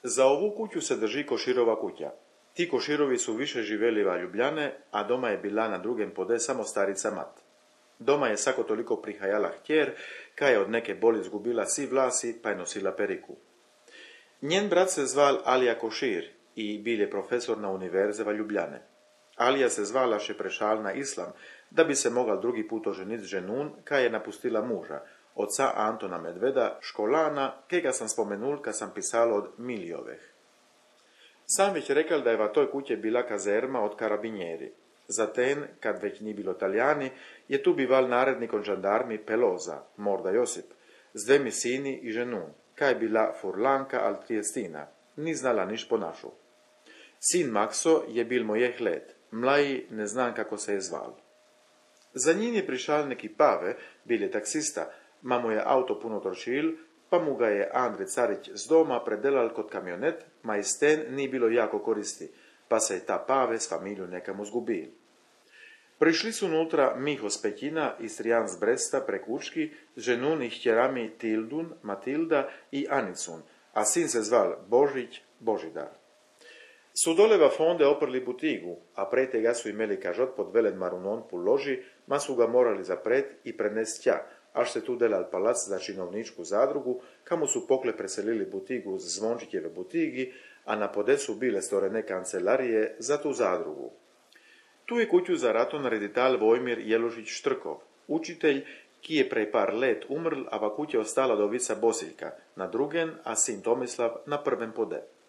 Za ovu kuću se drži Koširova kuća. Ti Koširovi su više živeli va Ljubljane, a doma je bila na drugem pode samo starica mat. Doma je sako toliko prihajala htjer, kaj je od neke boli zgubila si vlasi, pa je nosila periku. Njen brat se zval Alija Košir i bil je profesor na univerze va Ljubljane. Alija se zvala še prešal na islam, da bi se mogal drugi put oženiti z ženun, kaj je napustila muža, oca Antona Medveda, školana, kega sam spomenul, kad sam pisala od Milijoveh. Sam već rekal da je va toj kuće bila kazerma od karabinjeri. Zaten, kad već ni bilo Talijani, je tu bival narednikon žandarmi Peloza, Morda Josip, z dvemi sini i ženun, kaj je bila Furlanka al Triestina, ni znala niš po našu. Sin Makso je bil mojeh let, mlaji ne znam kako se je zval. Za njim je prišal neki Pave, bil je taksista, ma mu je auto puno trošil, pa mu ga je Andrej Carić z doma predelal kot kamionet, ma iz ten ni bilo jako koristi, pa se je ta Pave s familiju nekamo zgubil. Prišli su unutra Miho z Pećina, Istrijan z Bresta prek Učki, z ženun i htjerami Tildun, Matilda i Anicun, a sin se zval Božić, Božidar. Su dole va fonde oprli butigu, a pre tega su imeli kažot pod velen marunon pu loži, ma su ga morali zapret i prenest tja, až se tu delal palac za činovničku zadrugu, kamo su pokle preselili butigu z Zvončićeve butigi, a na podesu bile storene kancelarije za tu zadrugu. Tu je kuću za raton redital Vojmir Jelušić Štrkov, učitelj, ki je prej par let umrl, a va kuća ostala dovica Bosiljka, na drugen, a sin Tomislav na prvem pode.